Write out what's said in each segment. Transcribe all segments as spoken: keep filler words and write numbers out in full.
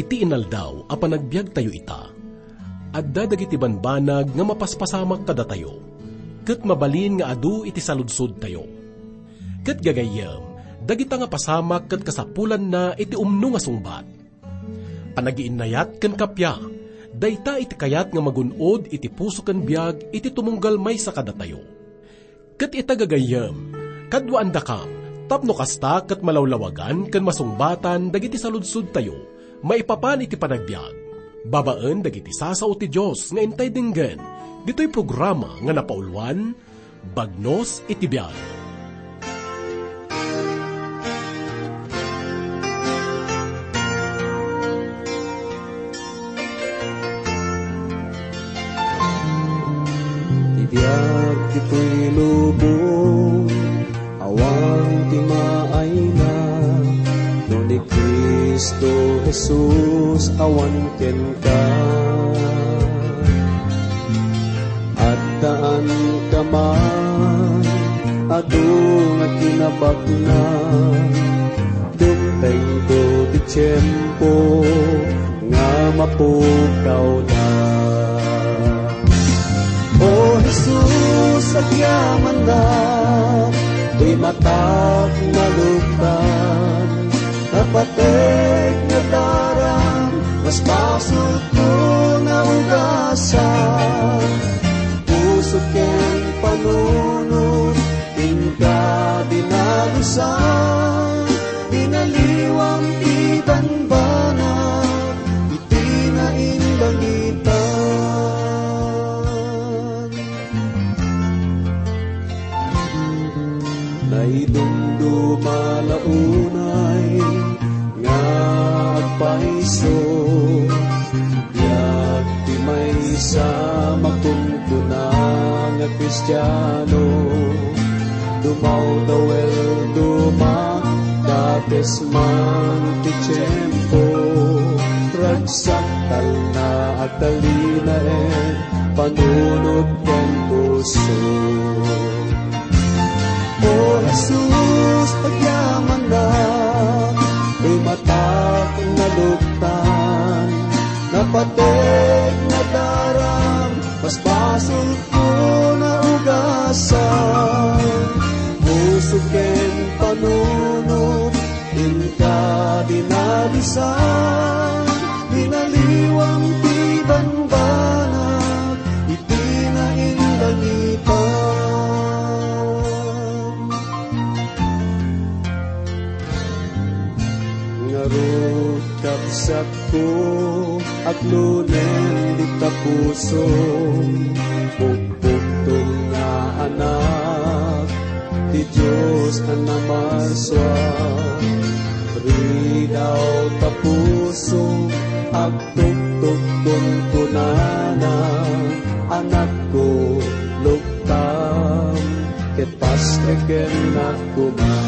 Iti inaldaw a panagbiagtayo ita, adda dagiti banbanag nga mapaspasamak kadatayo, ket mabalin nga adu iti saludsodtayo. Ket gagayyem, dagita nga pasamak ket kasapulanna iti umno nga sungbat. Panagiinnayat ken kappia, dayta iti kayat nga magun-od iti puso ken biag iti tumunggal maysa kadatayo. Ket ita gagayyem, kaduaandakam, tapno kasta ket malawlawagan ken masungbatan dagiti saludsodtayo maipapan iti panagbiag, babaen dagiti sasao ti Dios nga intay denggen ditoy programa nga napauluan, Bagnos iti Biag. Ti biag ditoy lubong, awan ti maayna, no ni Cristo Jesus awan kenka. Addaan ka man, adu nga kinabaknang, dumtengto ti tiempo nga mapukawda. O Jesus, agyamanak, ti matak naluktan, napatek nga daram, mas basolko naugasan. Puso ken panunot, inka dinalusan, binaliwam ti banbanag, iti nainlangitan. Naidumduma la unay nga agpayso, biag ti maysa makunkuna nga Kristiano. Dumawdawel, dumakdakes man ti tiempo, ragsak talna agtalinaed, panunot ken puso. O Jesus, agyamanak, ti matak naluktan, napatek nga daram, mas basolko naugasan. Puso ken panunot, inka dinalusan, binaliwam ti banbanag, iti nainlangitan. Ngarud, kabsatko, aglunen dita puso, pukpukto nga anak ti Dios a namasua. Ridaw ta puso, agtuktok kunkunana, anakko, luktam, ket pastreken koma.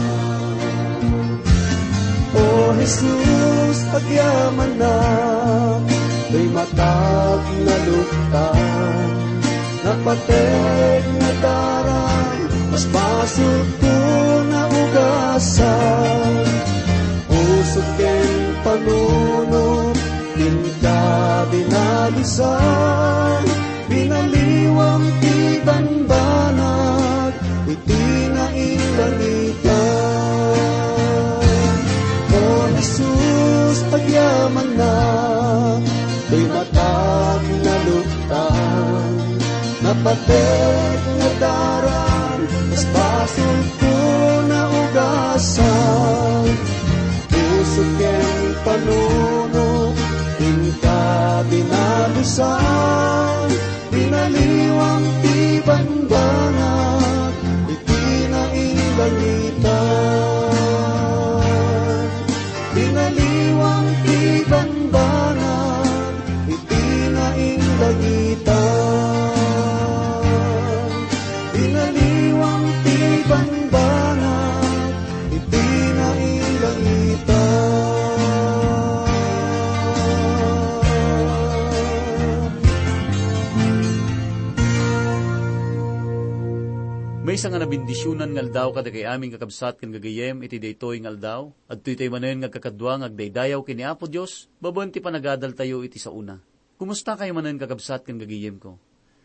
O Jesus, agyamanak, ti matak naluktan, napatek nga daram, mas basolko naugasan. Puso ken panunot, inka dinalusan, binaliwam ti banbanag, iti nainlangitan. O Jesus, agyamanak, ti matak naluktan, napatek nga daram, mas basolko naugasan. Puso ken panunot, inka dinalusan, binaliwam ti banbanag, iti nainlangitan. Binaliwam ti banbanag, iti nainlangitan. Binaliwam ti banbanag, iti nainlangitan. Maysa nga nabendisionan nga aldaw kadagiti amin, kakabsat ken gagayyem, iti daytoy nga aldaw. Adtoy tayo manen nga agkakadua nga agdaydayaw ken ni Apo Dios babaen ti panagadaltayo iti saona. Kumusta kayo manen, kakabsat ken gagayyemko?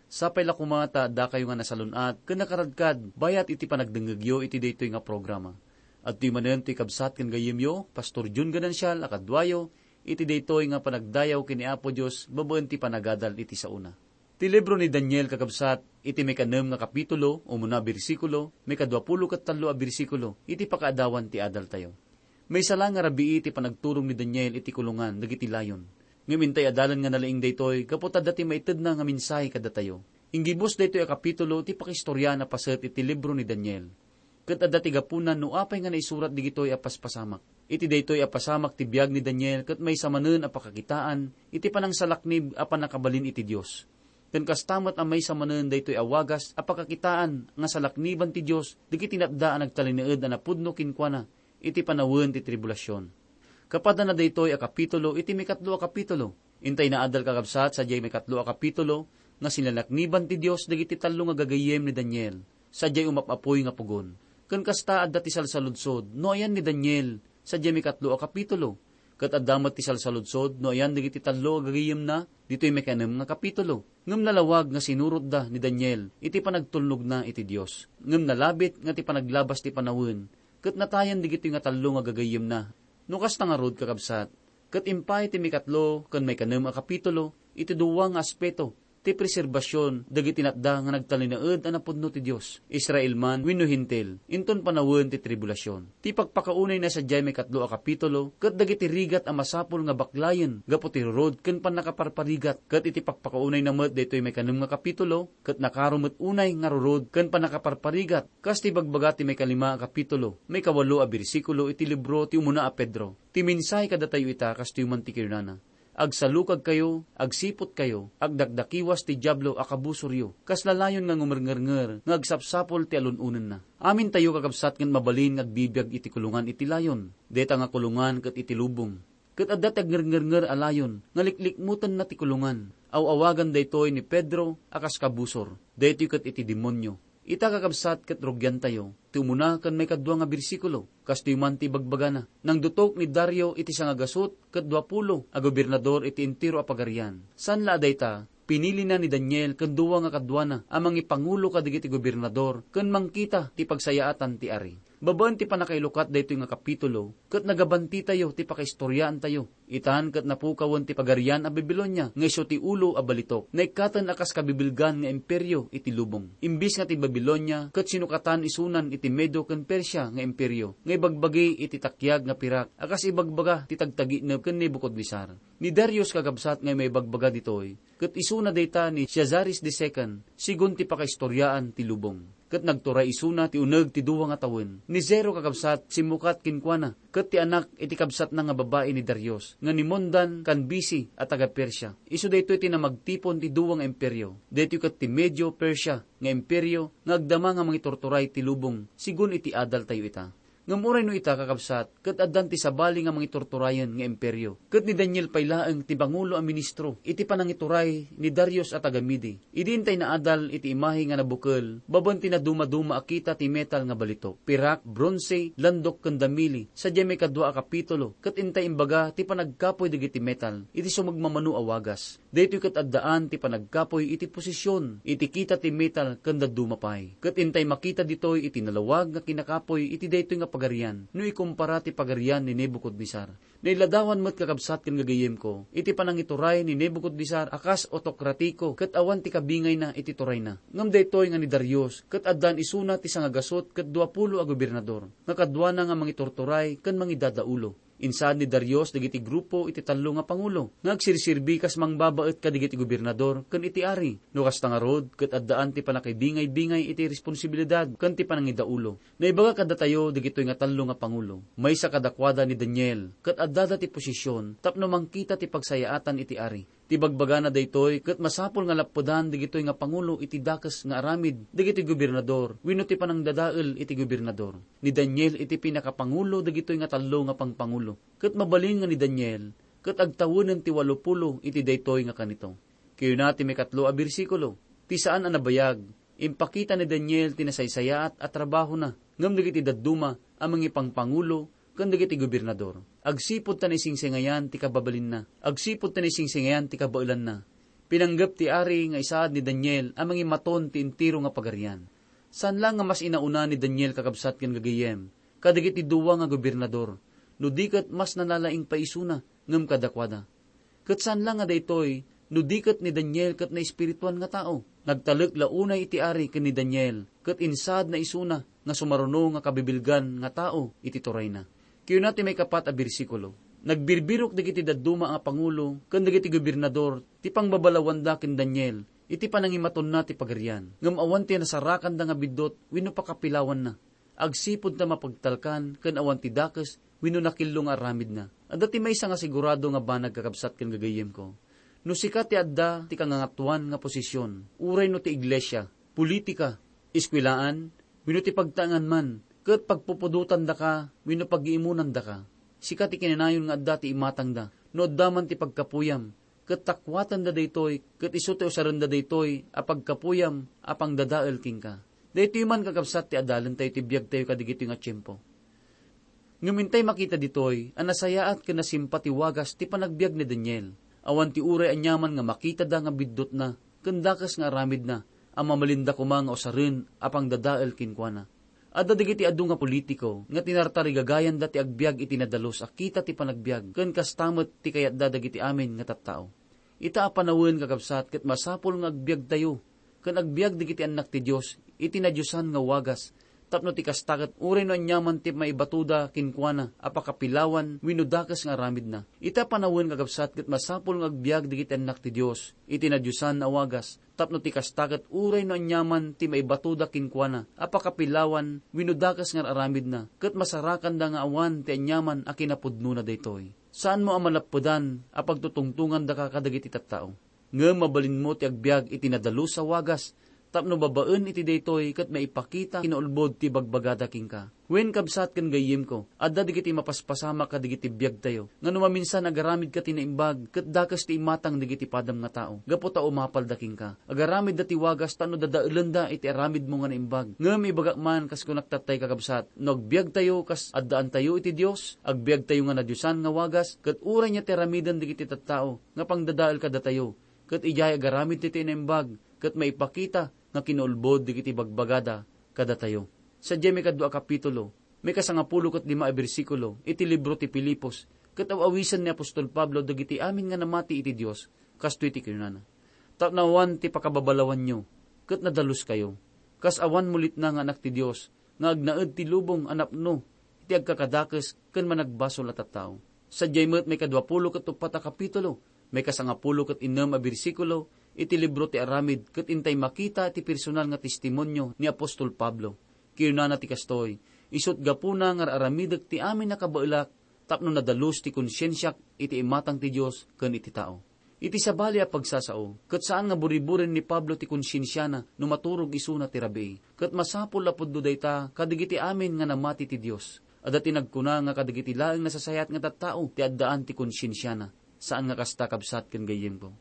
Sapay la koma ta adda kayo nga nasalun-at ken nakaradkad bayat iti panagdengngegyo iti daytoy nga programa. Adtoy manen toy kabsat ken gayyemyo, Pastor Jun Ganancial, a kaduayo, iti daytoy nga panagdayaw ken ni Apo Dios babaen ti panagadal iti saona. Ti libro ni Daniel, kakabsat, iti maikanem nga kapitulo, umuna a bersikulo, maikadua pulo ket tallo a bersikulo, iti pakaadawan ti adaltayo. Maysa la nga rabii ti panagturong ni Daniel iti kulungan dagiti layon. Ngem intay adalan nga nalaing daytoy gapu ta adda ti maitedna nga mensahe kadatayo. Inggibus daytoy a kapitulo ti pakaistoryaan a paset iti libro ni Daniel. Ket adda ti gapuna no apay nga naisurat digitoy a paspasamak. Iti daytoy a pasamak ti biag ni Daniel ket maysa manen a pakakitaan iti panangsalaknib a pannakabalin iti Dios. Ken kasta met a maysa manen daytoy a wagas a pakakitaan nga salakniban ti Dios dagiti natda a nagtalinaed a napudno kenkuana iti panawen ti tribulasion. Kapadana daytoy a kapitulo iti maikatlo a kapitulo. Intay naadal, kakabsat, sadiay maikatlo a kapitulo nga sinalakniban ti Dios dagiti tallo nga gagayyem ni Daniel, sadiay umap-apuy nga pugon. Ken kasta, adda ti salsaludsod no ayan ni Daniel sadiay maikatlo a kapitulo. Ket adda met ti salsaludsod no ayan dagiti tallo a gagayyemna ditoy maikanem nga kapitulo. Ngem nalawag nga sinurotda ni Daniel iti panagtulnogna iti Dios. Ngem nalabit nga ti panaglabas ti panawen ket natayan dagitoy nga tallo nga gagayyemna. No kasta ngarud, kakabsat, ket impay ti maikatlo ken maikanem a kapitulo iti dua nga aspeto ti preserbasion dagiti natda nga nagtalinaed a napudno ti Dios, Israel man wenno Hentil, inton panawen ti tribulasion. Ti pakpakaunayna sadiay maikatlo a kapitulo ket dagiti rigat a masapul nga baklayen gapu ti rurod ken pannakaparparigat, ket iti pakpakaunayna met daytoy maikanem nga kapitulo ket nakaro met unay nga rurod ken pannakaparparigat. Kas ti ibagbaga ti maikalima a kapitulo, maikawalo a bersikulo iti libro ti umuna a Pedro, ti mensahe kadatayo ita kastoy man ti kinunana, "Agsalukagkayo, agsiputkayo, agdakdakiwas ti Diablo a kabusoryo, kasla layon nga ngumerngernger nga agsapsapul ti alun-onenna." Amintayo, kakabsat, ket mabalin nga agbibiag iti kulungan iti layon. Dayta nga kulungan ket iti lubong. Ket adda ti agngernger a layon nga liklikmutenna ti kulungan. Aw-awagan daytoy ni Pedro a kas kabusor. Daytoy ket iti demonio. Ita, kakabsat, ket rugiantayo ti umuna ken maikadua nga bersikulo. Kastoy man ti ibagbagana, "Nangdutok ni Dario iti sangagasut ket duapulo a gobernador iti entero a pagarian." Saan la a dayta, pinilina ni Daniel ken dua nga kaduana a mangipangulo kadagiti gobernador ken mangkita ti pagsayaatan ti ari. Babaen ti pannakailukat daytoy nga kapitulo, ket nagabantitayo ti pakaistoryaantayo. Itan ket napukawen ti pagarian a Babilonia nga isu ti ulo a balitok. Naikkaten a kas kabibilgan nga imperio iti lubong. Imbis nga ti Babilonia, ket sinukatan isunan iti Medo ken Persia nga imperio, nga ibagbagi iti takiag nga pirak a kas ibagbaga ti tagtaginep ken Nebucadnezzar. Ni Darius, kakabsat, nga maibagbaga ditoy, ket isuna dayta ni Caesares the Second, sigun ti pakaistoryaan ti lubong. Ket nagturay isuna ti uneg ti dua nga tawen. Ni Zero, kakabsat, simmukat kenkuana, ket ti anak iti kabsatna nga babai ni Darius, nga ni Mondan Kanbisi a taga-Persia. Isu daytoy ti namagtipon ti dua nga imperio. Daytoy ket ti Medio-Persia nga imperio nga agdama nga mangiturturay ti lubong, sigun iti adaltayo ita. Ngem uray no ita, kakabsat, ket addan ti sabali nga mangiturturayen nga imperio. Ket ni Daniel pay laeng ti pangulo a ministro iti panangituray ni Darius a taga-Mede. Idi intay naadal iti imahe nga nabukel, babaen ti nadumaduma a kita ti metal nga balitok, pirak, bronse, landok ken damili, sadiay maikadua a kapitulo, ket intay imbaga ti panagkapuy dagiti metal iti sumagmamano a wagas. Daytoy ket addaan ti panagkapuy iti posisyon iti kita ti metal ken dadduma pay. Ket intay makita ditoy iti nalawag nga kinakapuy iti daytoy nga pagarian no ikumpara ti pagarian ni Nebucadnezzar. Nailadawan met, kakabsat ken gagayyemko, iti panangituray ni Nebucadnezzar a kas otokratiko ket awan ti kabingayna iti turayna. Ngem daytoy nga ni Darius ket addaan isuna ti sangagasut ket duapulo a gobernador nga kaduana nga mangiturturay ken mangidadaulo. Insaad ni Darius dagiti grupo iti tallo nga pangulo nga agsirserbi kas mangbabaet kadagiti gobernador ken iti ari. No kasta ngarud, ket addaan ti pannakibingay-bingay iti responsibilidad ken ti panangidaulo. Naibaga kadatayo dagitoy nga tallo nga pangulo. Maysa kadakuada ni Daniel, ket addada ti posisyon tapno mangkita ti pagsayaatan iti ari. Ti bagbagana daytoy ket masapul nga lappedan dagitoy nga pangulo iti dakes nga aramid dagiti gobernador wenno ti panangdadael iti gobernador. Ni Daniel iti pinakapangulo dagitoy nga tallo nga pangpangulo. Ket mabalin nga ni Daniel ket agtawenen ti walopulo iti daytoy nga kanito. Kayuna ti maikatlo a bersikulo, ti saan a nabayag, Impakita ni Daniel ti nasaysayaat a trabahona, ngem dagiti dadduma a mangipangpangulo ken dagiti gobernador, agsipud ta naisingsingayan ti kababalinna, agsipud ta naisingsingayan ti kabaelanna. Pinanggep ti ari nga isaad ni Daniel a mangimaton ti entero nga pagarian. Saan la nga mas inauna ni Daniel, kakabsat ken gagayyem, kadagiti dua nga gobernador, no di ket mas nalalaing pay isuna ngem kadakuada. Ket saan la nga daytoy, no di ket ni Daniel ket naespirituan nga tao. Nagtalek la unay iti ari ken ni Daniel, ket insaadna isuna nga sumaruno nga kabibilgan nga tao iti turayna. Kinuna ti maikapat a bersikulo, "Nagbirbirok dagiti dadduma a pangulo ken dagiti gobernador ti pangbabalawanda ken Daniel iti panangimatonna ti pagarian, ngem awan ti nasarakanda nga biddut wenno pakapilawanna. Agsipud ta mapagtalkan ken awan ti dakes wenno nakillo nga aramidna." Adda ti maysa nga sigurado nga banag, kakabsat ken gagayyemko. No sika ti adda ti kangangatuan nga posisyon, uray no ti iglesia, politika, eskuelaan, wenno ti pagtaengan man, ket pagpupudotandaka wenno pagiimunandaka, sika ti kinanayon nga adda ti imatangda. No adda man ti pagkapuyam, ket takuatenda daytoy, ket isu ti usarenda daytoy a pagkapuyam a pangdadael kenka. Daytoy man, kakabsat, ti adalentayo ti biagtayo kadagitoy nga tiempo. Ngem intay makita ditoy a nasayaat ken nasimpa ti wagas ti panagbiag ni Daniel. Awan ti uray aniaman nga makitada nga biddutna ken dakes nga aramidna a mamalinda koma nga usaren a pangdadael kenkuana. Adda dagiti adu nga politiko nga tinartarigagayanda ti agbiag iti nadalus a kita ti panagbiag, ken kasta met ti kayatda dagiti amin nga tattao. Ita a panawen, kakabsat, ket masapul nga agbiagtayo ken agbiag dagiti annak ti Dios iti nadiosan nga wagas, tapno ti kasta ket uray no aniaman ti maibatoda kenkuana a pakapilawan wenno dakes nga aramidna. Ita a panawen, kakabsat, ket masapul nga agbiag dagiti annak ti Dios iti nadiosan a wagas, tapno ti kasta ket uray no aniaman ti maibatoda kenkuana a pakapilawan wenno dakes nga aramidna, ket masarakanda nga awan ti aniaman a kinapudnona daytoy. Saanmo a malappedan a pagtutungtongandaka kadagiti tattao. Ngem mabalinmo ti agbiag iti nadalus a wagas, tapno babaen iti daytoy ket maipakita kinaulbod ti bagbagada kenka. Wen, kabsat ken gayyemko, adda dagiti mapaspasamak kadagiti biagtayo, nga no maminsan agaramidka ti naimbag, ket dakes ti imatang dagiti padam nga tao, gapu ta umapalda kenka. Agaramidda ti wagas tapno dadaelenda iti aramidmo nga naimbag. Ngem ibagak man, kas kunak tattay, kakabsat, no agbiagtayo kas addaantayo iti Dios, agbiagtayo nga nadiosan nga wagas, ket uray nia ti aramiden dagiti tattao nga pangdadael kadatayo, ket idiay agaramid ti naimbag, ket maipakita nga kinaulbod dagiti bagbagada kadatayo. Sadiay maikadua a kapitulo, maikasangapulo ket lima a bersikulo iti libro ti Filipos, ket aw-awisen ni apostol Pablo dagiti amin nga namati iti Dios, kastoy ti kinunana, "Tapno awan ti pakababalawanyo, ket nadaluskayo, kas awan mulitna nga anak ti Dios, nga agnaed ti lubong a napno iti agkakadakes ken managbasol a tattao." Sadiay met maikaduapulo ket uppat a kapitulo, maikasangapulo ket innem a bersikulo iti libro ti Aramid, ket intay makita ti personal nga testimonio ni apostol Pablo. Kinunana ti kastoy, "Isut' gapuna nga ar-aramidek ti amin a kabaelak tapno nadalus ti konsiensiak iti imatang ti Dios ken iti tao." Iti sabali a pagsasao, ket saan nga buriburen ni Pablo ti konsiensiana no maturog isuna ti rabii. Ket masapul a pudno dayta kadagiti amin nga namati ti Dios. Adda ti nagkuna nga kadagiti laeng nasasayaat nga tattao ti addaan ti konsiensiana. Saan nga kasta, kabsat ken gayyemko.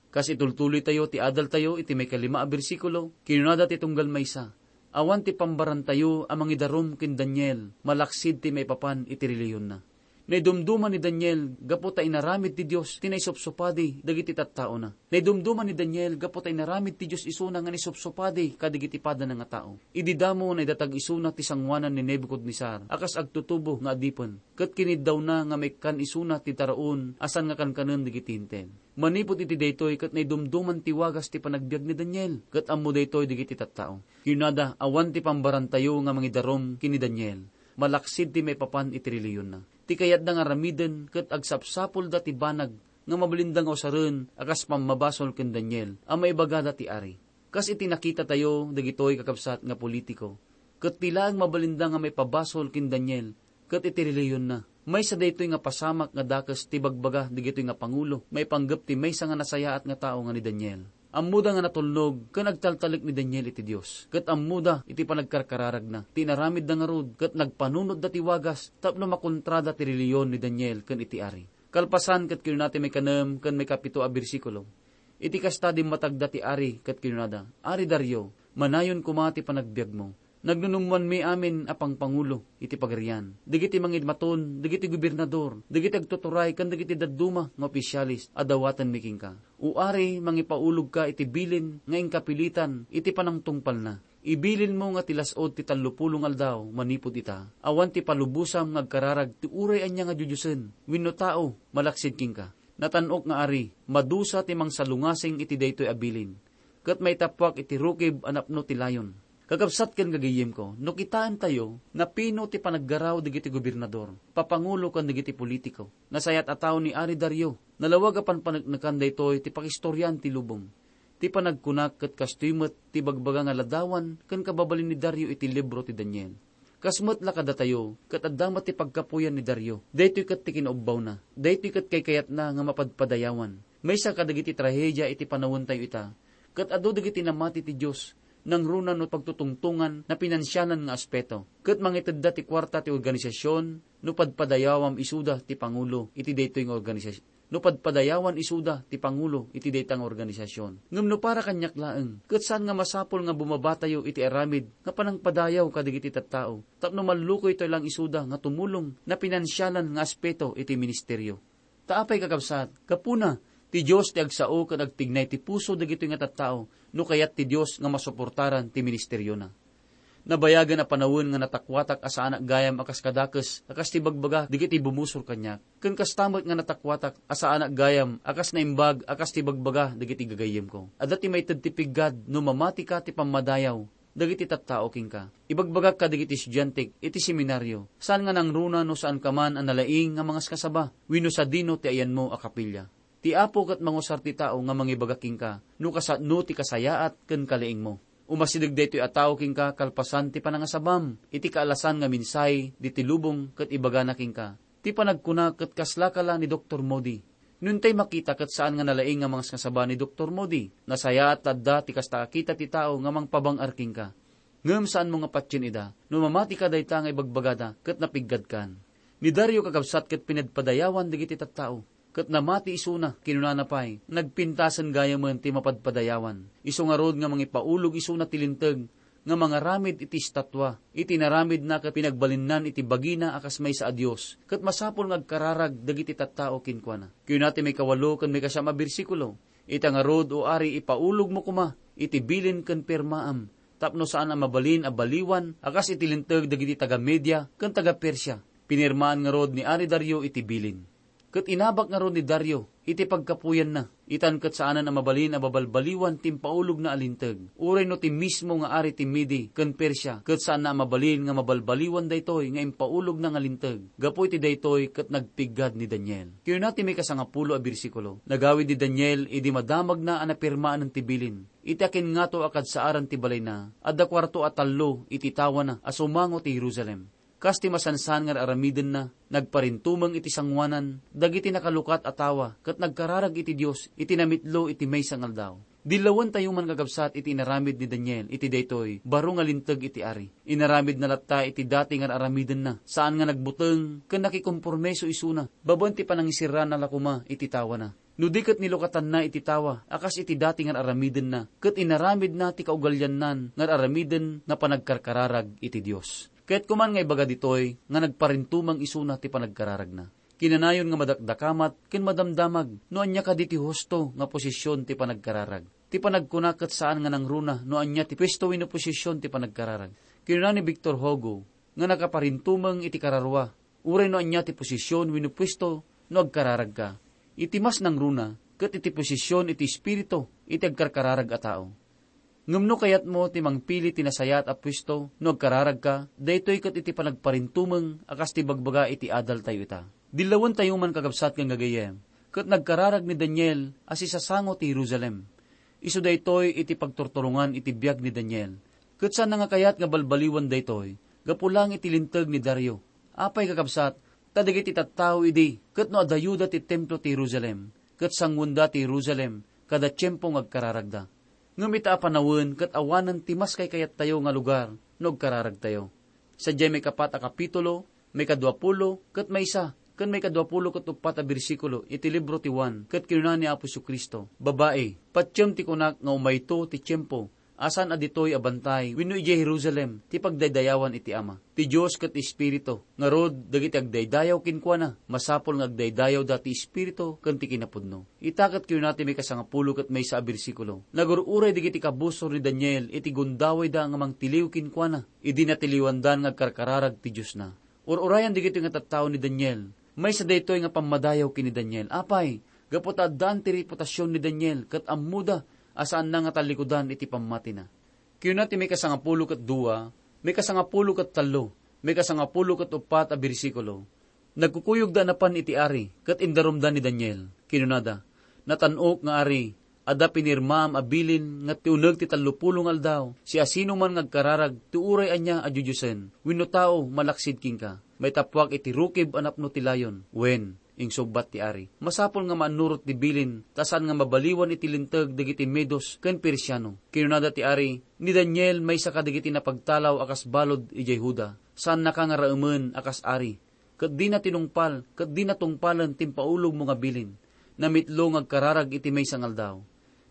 Kas itultuloytayo ti adaltayo iti maikalima a bersikulo, kinunada ti tunggal maysa, "Awan ti pambarantayo a mangidarum ken Daniel, malaksid ti maipapan iti reliyonna." Naidumduma ni Daniel gapu ta inaramid ti Dios ti naisupsupadi dagiti tattaona. Naidumduma ni Daniel gapu ta inaramid ti Dios isuna nga naisupsupadi kadagiti padana nga tao. Idi damo, naidatag isuna ti sangoanan ni Nebucadnezzar a kas agtutubo nga adipen, ket kiniddawna nga maikkan isuna ti taraon a saan nga kankanen dagiti Hentil. Manipud iti daytoy ket naidumduman ti wagas ti panagbiag ni Daniel, ket ammo daytoy dagiti tattao. Kinunada, "Awan ti pambarantayo nga mangidarum ken ni Daniel, malaksid ti maipapan iti reliyonna." Ti kayatda nga aramiden ket agsapsapulda ti banag nga mabalinda nga usaren a kas pammabasol ken Daniel a maibagada ti ari. Kas iti nakitatayo dagitoy, kakabsat, nga politiko, ket ti laeng mabalinda nga maipabasol ken Daniel ket iti reliyonna. Maysa daytoy nga pasamak nga dakes ti bagbaga dagitoy nga pangulo maipanggep ti maysa nga nasayaat nga tao nga ni Daniel. Ammoda nga natulnog ken agtaltalek ni Daniel iti Dios, ket ammoda iti panagkarkararagna ti inaramidda ngarud, ket nagpanunotda ti wagas tapno makontrada ti reliyon ni Daniel ken iti ari. Kalpasan, ket kinuna ti maikanem ken maikapito a bersikulo, iti kasta, dimmatagda ti ari ket kinunada, "Ari Dario, Manayon koma ti panagbiagmo. Nagnunummoanmi amin a pangpangulo iti pagarian, dagiti mangimaton, dagiti gobernador, dagiti agtuturay, ken dagiti dadduma nga opisyales a dawatenmi kenka. O Ari, mangipaulogka iti bilin nga inkapilitan iti panangtungpalna. Ibilinmo nga ti las-ud ti tallopulo nga aldaw manipud ita, awan ti palubosam nga agkararag ti uray ania nga diodiosen wenno tao malaksid kenka. Natan-ok nga Ari, madusa ti mangsalungasing iti daytoy a bilin, ket maitappuak iti rukib a napno ti layon. Kakabsat ken gagayyemko, no kitaentayo, napino ti panaggaraw dagiti gobernador, papangulo ken dagiti politiko. Nasayaat a tao ni Ari Dario. Nalawag a panpaneknekan daytoy ti pakistoriaan ti lubong. Ti panagkunak ket kastoy met ti bagbaga nga ladawan ken kababalin ni Dario iti libro ti Daniel. Kas met la kadatayo, ket adda met ti pagkapuyan ni Dario. Daytoy ket ti kinaubbawna. Daytoy ket kaykayatna nga mapadpadayawan. Maysa kadagiti trahedia iti panawentayo ita, ket adu dagiti namati ti Dios, nangruna no pagtutungtongan, napinansianan nga aspeto, ket mangitedda ti kuarta ti organisasion no padpadayawam isuda ti pangulo iti daytoy nga organisasion. No padpadayawan isuda ti pangulo iti dayta nga organisasion. Ngem no para kaniak laeng, ket saan nga masapul nga bumabatayo iti aramid nga panangpadayaw kadagiti tattao, tapno mallukoytayo lang isuda nga tumulong napinansialan nga aspeto iti ministerio. Ta apay, kakabsat, gapuna, ti Dios ti agsao ken agtignay ti puso dagitoy nga tattao no kayat ti Dios nga masuportaran ti ministeriona. Nabayagen a panawen nga natakuatak a saanak gayam a kas kadakes a kas ti bagbaga dagiti bumusor kaniak, ken kasta met nga natakuatak a saanak gayam a kas naimbag a kas ti bagbaga dagiti gagayyemko. Adda ti maited ti piggad no mamatika ti pammadayaw dagiti tattao kenka. Ibagbagak kadagiti estudiantek iti seminario, saan nga nangruna no saanka man a nalaing nga mangaskasaba wenno sadino ti ayanmo a kapilya. Ti Apo ket mangusar ti tao nga mangibaga kenka no kasano ti kasayaat ken kalaingmo. Umasideg daytoy a tao kenka kalpasan ti panangasabam iti kaalasan nga mensahe diti lubong ket ibagana kenka, "Ti panagkuna ket kaslaka la ni Doktor Moody." No intay makita ket saan nga nalaing nga mangaskasaba ni Doktor Moody, nasayaat la adda ti kasta a kita ti tao nga mangpabang-ar kenka. Ngem saanmo nga patien ida no mamatika dayta nga ibagbagada ket napiggadkan. Ni Dario, kakabsat, ket pinadpadayawan dagiti tattao, ket namati isuna. Kinunana pay, nagpintasen gayamen ti mapadpadayawan. Isu ngarud nga mangipaulog isuna ti linteg nga mangaramid iti estatua. Iti inaramidna ket pinagbalinnan iti bagina a kas maysa a dios, ket masapul nga agkararag dagiti tattao kenkuana. Kinuna ti maikawalo ken maikasiam a bersikulo, "Ita ngarud, O ari, ipaulogmo koma iti bilin ken pirmaam, tapno saan a mabalin a baliwan a kas iti linteg dagiti taga-Media ken taga-Persia." Pinirmaan ngarud ni Ari Dario iti bilin. Ket inabak ngarud ni Dario iti pagkapuyanna, itan ket saanen a mabalin a babalbaliwan ti impaulogna a linteg, uray no ti mismo nga ari ti Medi ken Persia ket saanna a mabalin nga mabalbaliwan daytoy nga impaulogna nga linteg. Gapu iti daytoy ket nagpiggad ni Daniel. Kinuna ti maikasangapulo a bersikulo, "Nagawid ni Daniel idi madamagna a napirmaanen ti bilin. Iti akinngato a kadsaaran ti balayna, adda kuarto a tallo iti tawana a sumango ti Jerusalem. Kas ti masansan nga ar-aramidenna, nagparintumeng iti sangoanan dagiti nakalukat a tawa ket nagkararag iti Dios iti namitlo iti maysa nga aldaw." Dillawentayo man, kakabsat, iti inaramid ni Daniel iti daytoy baro nga linteg iti ari. Inaramidna latta iti dati nga ar-aramidenna, saan nga nagbuteng ken nakikompormeso isuna babaen ti panangisirrana la koma iti tawana. No di ket nilukatanna iti tawa a kas iti dati nga ar-aramidenna, ket inaramidna ti kaugaliannan nga ar-aramiden nga panagkarkararag iti Dios. Kayatko man nga ibaga ditoy nga nagparintumeng isuna ti panagkararagna. Kinanayon nga madakdakamat ken madamdamag no ania kadi ti husto nga posisyon ti panagkararag. Ti panagkuna ket saan nga nangruna no ania ti puesto wenno posisyon ti panagkararag. Kinuna ni Victor Hugo nga nakaparintumeng iti kararua, uray no ania ti posisyon wenno puesto no agkararagka. Iti mas nangruna ket iti posisyon iti espiritu iti agkarkararag a tao. Ngem no kayatmo ti mangpili ti nasayaat a puesto no agkararagka, daytoy ket iti panagparintumeng a kas ti bagbaga iti adaltayo ita. Dillawentayo man, kakabsat ken gagayyem, ket nagkararag ni Daniel a sisasango ti Jerusalem. Isu daytoy iti pagturturongan iti biag ni Daniel. Ket saanna nga kayat nga balbaliwan daytoy gapu laeng iti linteg ni Dario. Apay, kakabsat, ta dagiti tattao idi ket no adayoda ti templo ti Jerusalem, ket sanguenda ti Jerusalem kada tiempo nga agkararagda. Ngem ita a panawen ket awanen ti mas kaykayattayo nga lugar no agkararagtayo. Sadiay maikapat a kapitulo, maikaduapulo ket maysa, ken maikaduapulo ket uppat a bersikulo iti libro ti Juan, ket kinuna ni Apo Jesu-Cristo, "Babai, patiem ti kunak nga umayto ti tiempo a saan a ditoy a bantay wenno idiay Jerusalem ti pagdaydayawan iti Ama. Ti Dios ket Espiritu, ngarud, dagiti agdaydayaw kenkuana, masapul nga agdaydayawda ti Espiritu ken ti kinapudno. Ita ket kinuna ti maikasangapulo ket maysa a bersikulo, nagur-uray dagiti kabusor ni Daniel iti gundawayda nga mangtiliw kenkuana idi natiliwandan nga agkarkararag ti Diosna. Ur-urayan dagitoy nga tattao ni Daniel. Maysa daytoy nga pammadayaw ken ni Daniel. Apay, gapu ta addaan ti reputasion ni Daniel ket ammoda a saanna nga tallikudan iti pammatina. Kinuna ti maikasangapulo ket dua, maikasangapulo ket tallo, maikasangapulo ket uppat a bersikulo, nagkukuyogda a napan iti ari ket indarumda ni Daniel. Kinunada, "Natan-ok nga ari, adda pinirmaam a bilin nga ti uneg ti tallopulo nga aldaw, siasinoman nga agkararag ti uray ania a diodiosen wenno tao malaksid kenka, maitappuak iti rukib a napno ti layon." Wen, insungbat ti ari, "Masapul nga maannurot ti bilin ta saan nga mabaliwan iti linteg dagiti Medos ken Persiano." Kinunada ti ari, "Ni Daniel maysa kadagiti napagtalaw a kas balud idiay Juda. Saannaka nga raemen a kas ari, ket dina tinungpal ket dina tungpalen ti impaulogmo nga bilin. Namitlo nga agkararag iti maysa nga aldaw."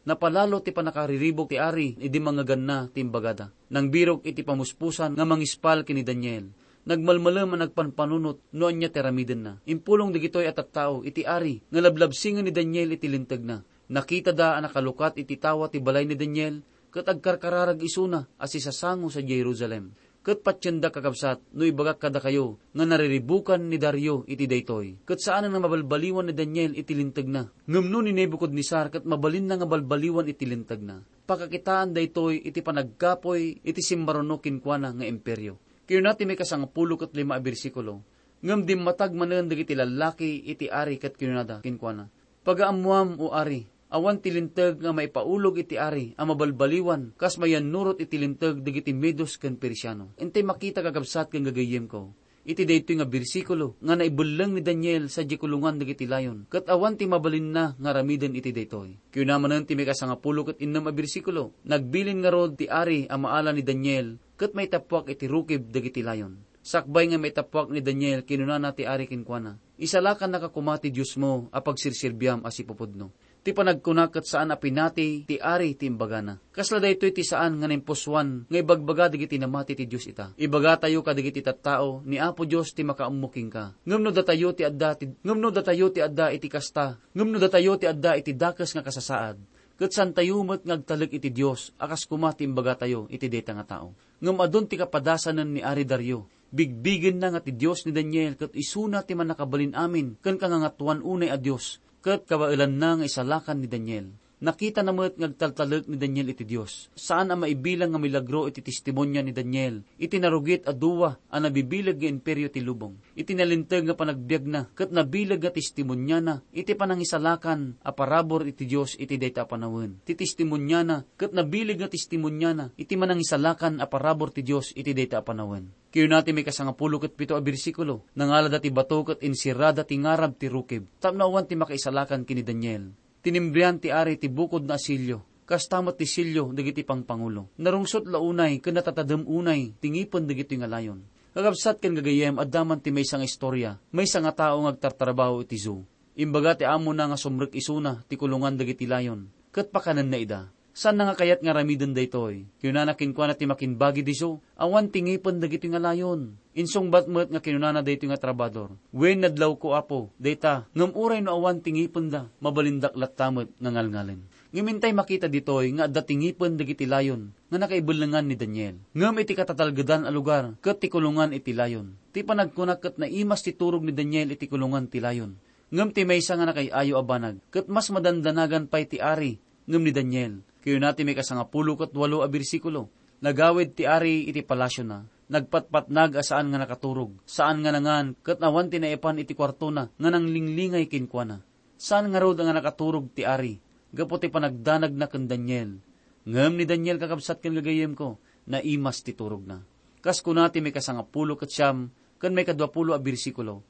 Napalalo ti pannakariribuk ti ari idi mangngeganna ti imbagada. Nangbirok iti pamuspusan nga mangispal ken ni Daniel. Nagmalmalem a nagpanpanunot no ania ti aramidenna. Impulong dagitoy a tattao iti ari nga lablabsingen ni Daniel iti lintegna. Nakitada a nakalukat iti tawa ti balay ni Daniel ket agkarkararag isuna a sisasango sadiay Jerusalem. Ket patienda, kakabsat, no ibagak kadakayo nga nariribukan ni Dario iti daytoy, ket saanen nga mabalbaliwan ni Daniel iti lintegna. Ngem no ni Nebucadnezzar ket mabalinna nga balbaliwan iti lintegna, pakakitaan daytoy iti panagkapuy iti simmaruno kenkuana nga imperio. Kinuna ti maikasangapulo ket lima a bersikulo, ngem dimmatag manen dagiti lallaki iti ari ket kinunada kenkuana, "Pagaammuam, O ari, awan ti linteg nga maipaulog iti ari a mabalbaliwan kas mayannurot iti linteg dagiti Medos ken Persiano." Intay makita, kakabsat ken gagayyemko, iti daytoy nga bersikulo nga naibelleng ni Daniel sadiay kulongan dagiti layon, ket awan ti mabalinna nga aramiden iti daytoy. Kinuna manen ti maikasangapulo ket innem a bersikulo, "Nagbilin ngarud ti ari a maala ni Daniel ket maitappuak iti rukib dagiti layon. Sakbay nga maitappuak ni Daniel, kinunana ti ari kenkuana, isalakannaka koma ti Diosmo a pagserserbiam a sipupudno." Ti panagkuna ket saan a pinati ti ari ti imbagana. Kasla daytoy ti saan nga naimpusoan nga ibagbaga dagiti namati ti Dios ita. Ibagatayo kadagiti tattao, ni Apo Dios ti makaammo kenka. Ngem no datayo ti adda ti, ngem no datayo ti adda iti kasta, ngem no datayo ti adda iti dakes nga kasasaad, ket saantayo met nga agtalek iti Dios a kas koma ti imbagatayo iti dayta nga tao. Ngem adun ti kapadasanen ni Ari Dario. Bigbigenna nga ti Dios ni Daniel ket isuna ti Mannakabalin-amin ken Kangangatoan unay a Dios, ket kabaelanna nga isalakan ni Daniel. Nakitana met nga agtaltalek ni Daniel iti Dios. Saan a maibilang nga milagro iti testimonia ni Daniel iti narugit a dua a nabibileg nga imperio ti lubong. Iti nalinteg nga panagbiagna ket nabileg nga testimoniana iti panangisalakan a parabur iti Dios iti dayta a panawen. Ti testimoniana ket nabileg nga testimoniana iti manangisalakan a parabur ti Dios iti dayta a panawen. Kinuna ti maikasangapulo ket pito a bersikulo, "Nangalada ti bato ket insirada ti ngarab ti rukib, tapno awan ti makaisalakan ken ni Daniel. Tinimbrian ti ari ti bukodna a selio, kasta met ti selio dagiti pangpangulo. Narungsot la unay ken natatadem unay ti ngipen dagitoy nga layon." Kakabsat ken gagayyem, adda man ti maysa nga istorya, maysa nga tao nga agtartrabaho iti zoo. Imbaga ti amona nga sumrek isuna ti kulongan dagiti layon, ket pakanenna ida. Saanna nga kayat nga aramiden daytoy. Kinunana kenkuana ti makimbagi diso, "Awan ti ngipen dagitoy nga layon." Insungbat met nga kinunana daytoy nga trabador, "Wen, nadlawko, Apo, dayta, ngem uray no awan ti ngipenda, mabalindak latta met nga ngalngalen." Ngem intay makita ditoy nga adda ti ngipen dagiti layon nga nakaibellengan ni Daniel. Ngem iti katatalgedan a lugar ket ti kulongan iti layon. Ti panagkuna ket naimas ti turog ni Daniel iti kulongan ti layon. Ngem ti maysa nga nakay-ayo a banag ket mas madandanagan pay ti ari ngem ni Daniel. Kinuna ti maikasangapulo ket walo a bersikulo, "Nagawid ti ari iti palasiona. Nagpatpatnag a saan nga nakaturog, saan nga nangan, ket awan ti naipan iti kuartona nga nanglinglingay kenkuana." Saan ngarud nga nakaturog ti ari gapu ti panagdanagna ken Daniel. Ngem ni Daniel, kakabsat ken gagayyemko, naimas ti turogna. Kas kuna ti maikasangapulo ket siam ken maikaduapulo a bersikulo,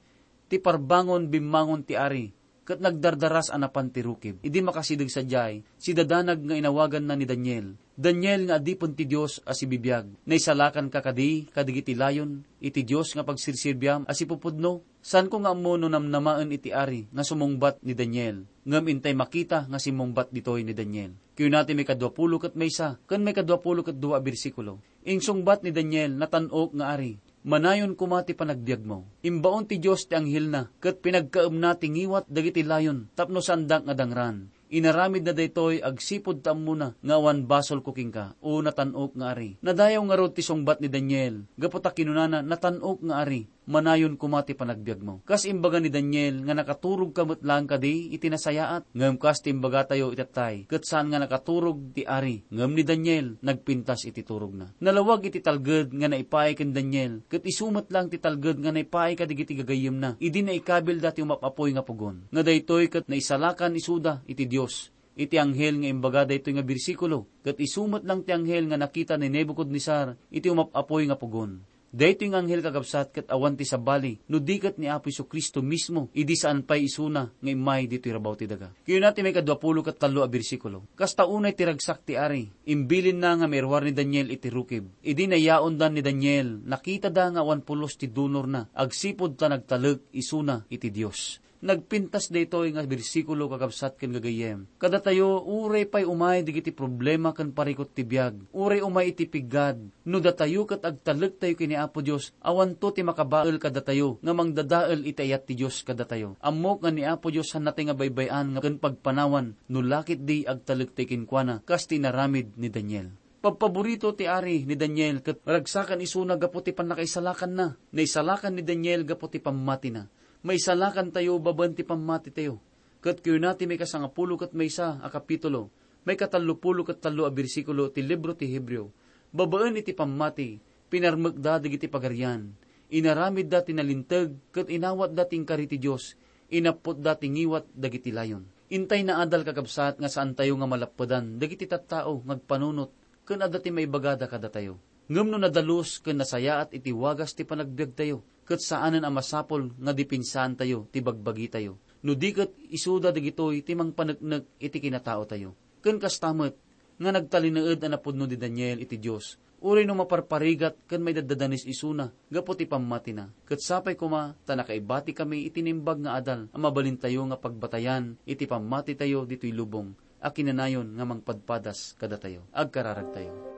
"Ti parbangon bimmangon ti ari, ket nagdardaras a napan ti rukib. Idi makasideg sadiay, sidadanag nga inawaganna ni Daniel, "Daniel nga adipen ti Dios a sibibiag, naisalakanka kadi kadagiti layon iti Dios nga pagsirsirbiam a sipupudno?" Saanko nga ammo no namnamaen iti ari nga sumungbat ni Daniel, ngem intay makita nga simmungbat ditoy ni Daniel. Kinuna ti maikadua pulo ket maysa ken maikadua pulo ket dua a bersikulo. Insungbat ni Daniel, "Natan-ok nga ari, manayon koma ti panagbiagmo." Imbaon ti Dios ti anghelna ket pinagkaemna ti ngiwat dagiti layon tapno saanda nga dangran. Inaramidna daytoy agsipud ta ammona nga awan basolko kenka, o natan-ok nga ari. Nadayaw ngarud ti sungbat ni Daniel, gapu ta kinunana, "Natan-ok nga ari, manayon koma ti panagbiagmo." Kas imbaga ni Daniel nga nakaturogka met laeng kadi iti nasayaat, ngem kas ti imbagatayo itattay, ket saan nga nakaturog ti ari, ngem ni Daniel nagpintas iti turogna. Nalawag iti talged nga naipaay ken Daniel, ket isu met laeng ti talged nga naipaay kadagiti gagayyemna idi naikabilda ti umap-apoy nga pugon, nga daytoy ket naisalakan isuda iti Dios. Iti anghel nga imbaga daytoy nga bersikulo, ket isu met laeng ti anghel nga nakita ni Nebucadnezzar iti umap-apoy nga pugon. Daytoy nga anghel, kakabsat, ket awan ti sabali no di ket ni Apo Jesu-Cristo mismo idi saan pay isuna nga immay ditoy rabaw ti daga. Kinuna ti maikadua pulo ket tallo a bersikulo, "Kasta unay ti ragsak ti ari, imbilinna nga mairuar ni Daniel iti rukib." Idi nayaondan ni Daniel, nakitada nga awan pulos ti dunorna agsipud ta nagtalek isuna iti Dios. Nagpintas daytoy nga bersikulo, kakabsat ken gagayyem. Kadatayo, uray pay umay dagiti problema ken parikut ti biag, uray umay iti piggad, no datayo ket agtalektayo ken ni Apo Dios, awanto ti makabael kadatayo nga mangdadael iti ayat ti Dios kadatayo. Ammok nga ni Apo Dios saan natay nga baybay-an nga ken pagpanawan no la ketdi agtalektayo kenkuana, kas ti inaramid ni Daniel. Pabpaborito ti ari ni Daniel ket ragsakan isuna gapu ti pannakaisalakanna. Naisalakan ni Daniel gapu ti pammatina. Maisalakantayo babaen ti pammatitayo. Ket kinuna ti maikasangapulo ket maysa a kapitulo, maikatallopulo ket tallo a bersikulo ti libro ti Hebreo, babaen iti pammati, pinarmekda dagiti pagarian, inaramidda ti nalinteg ket inawatda ti inkari ti Dios, inapputda ti ngiwat dagiti layon. Intay naadal, kakabsat, nga saantayo nga malappedan dagiti tattao nga agpanunot ken adda ti maibagada kadatayo. Ngem no nadalus ken nasayaat iti wagas ti panagbiagtayo, ket saanen a masapul nga depensaantayo ti bagbagitayo. No di ket isuda dagitoy ti mangpaneknek iti kinataotayo. Ken kasta met nga nagtalinaed a napudno ni Daniel iti Dios, uray no maparparigat ken maidaddadanes isuna gapu ti pammatina. Ket sapay koma ta nakaibatikami iti naimbag nga adal a mabalintayo nga pagbatayan iti pammatitayo ditoy lubong a kinanayon nga mangpadpadas kadatayo. Agkararagtayo.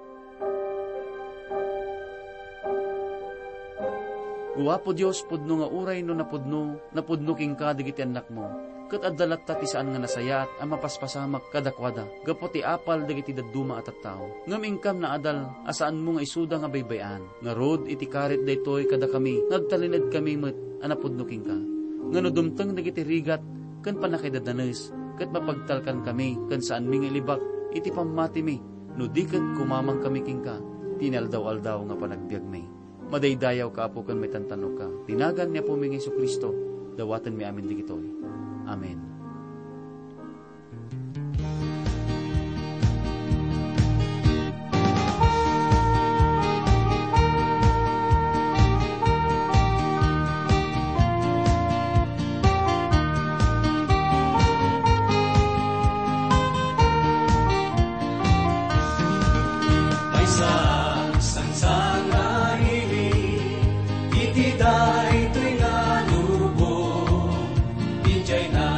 O Apo Dios, pudno nga uray no napudno, napudno kenka dagiti annakmo, ket adda latta ti saan nga nasayaat a mapaspasamak kadakuada gapu ti apal dagiti dadduma a tattao. Ngem inkam naadal a saanmo nga isuda nga baybay-an. Ngarud, iti karit daytoy kadakami nga agtalinaedkami met a napudno kenka, nga no dumteng dagiti rigat ken pannakaidadanes, ket mapagtalkankami ken saanmi nga ilibak iti pammatimi no di ket kumamangkami kenka ti inaldaw-aldaw nga panagbiagmi. Madaydayawka, Apo, ken maitantanokka. Ti nagan ni Apomi nga Jesu-Cristo, dawatenmi amin dagitoy. Amen. Maysa a sansangaili iti daytoy nga lubong, idiay na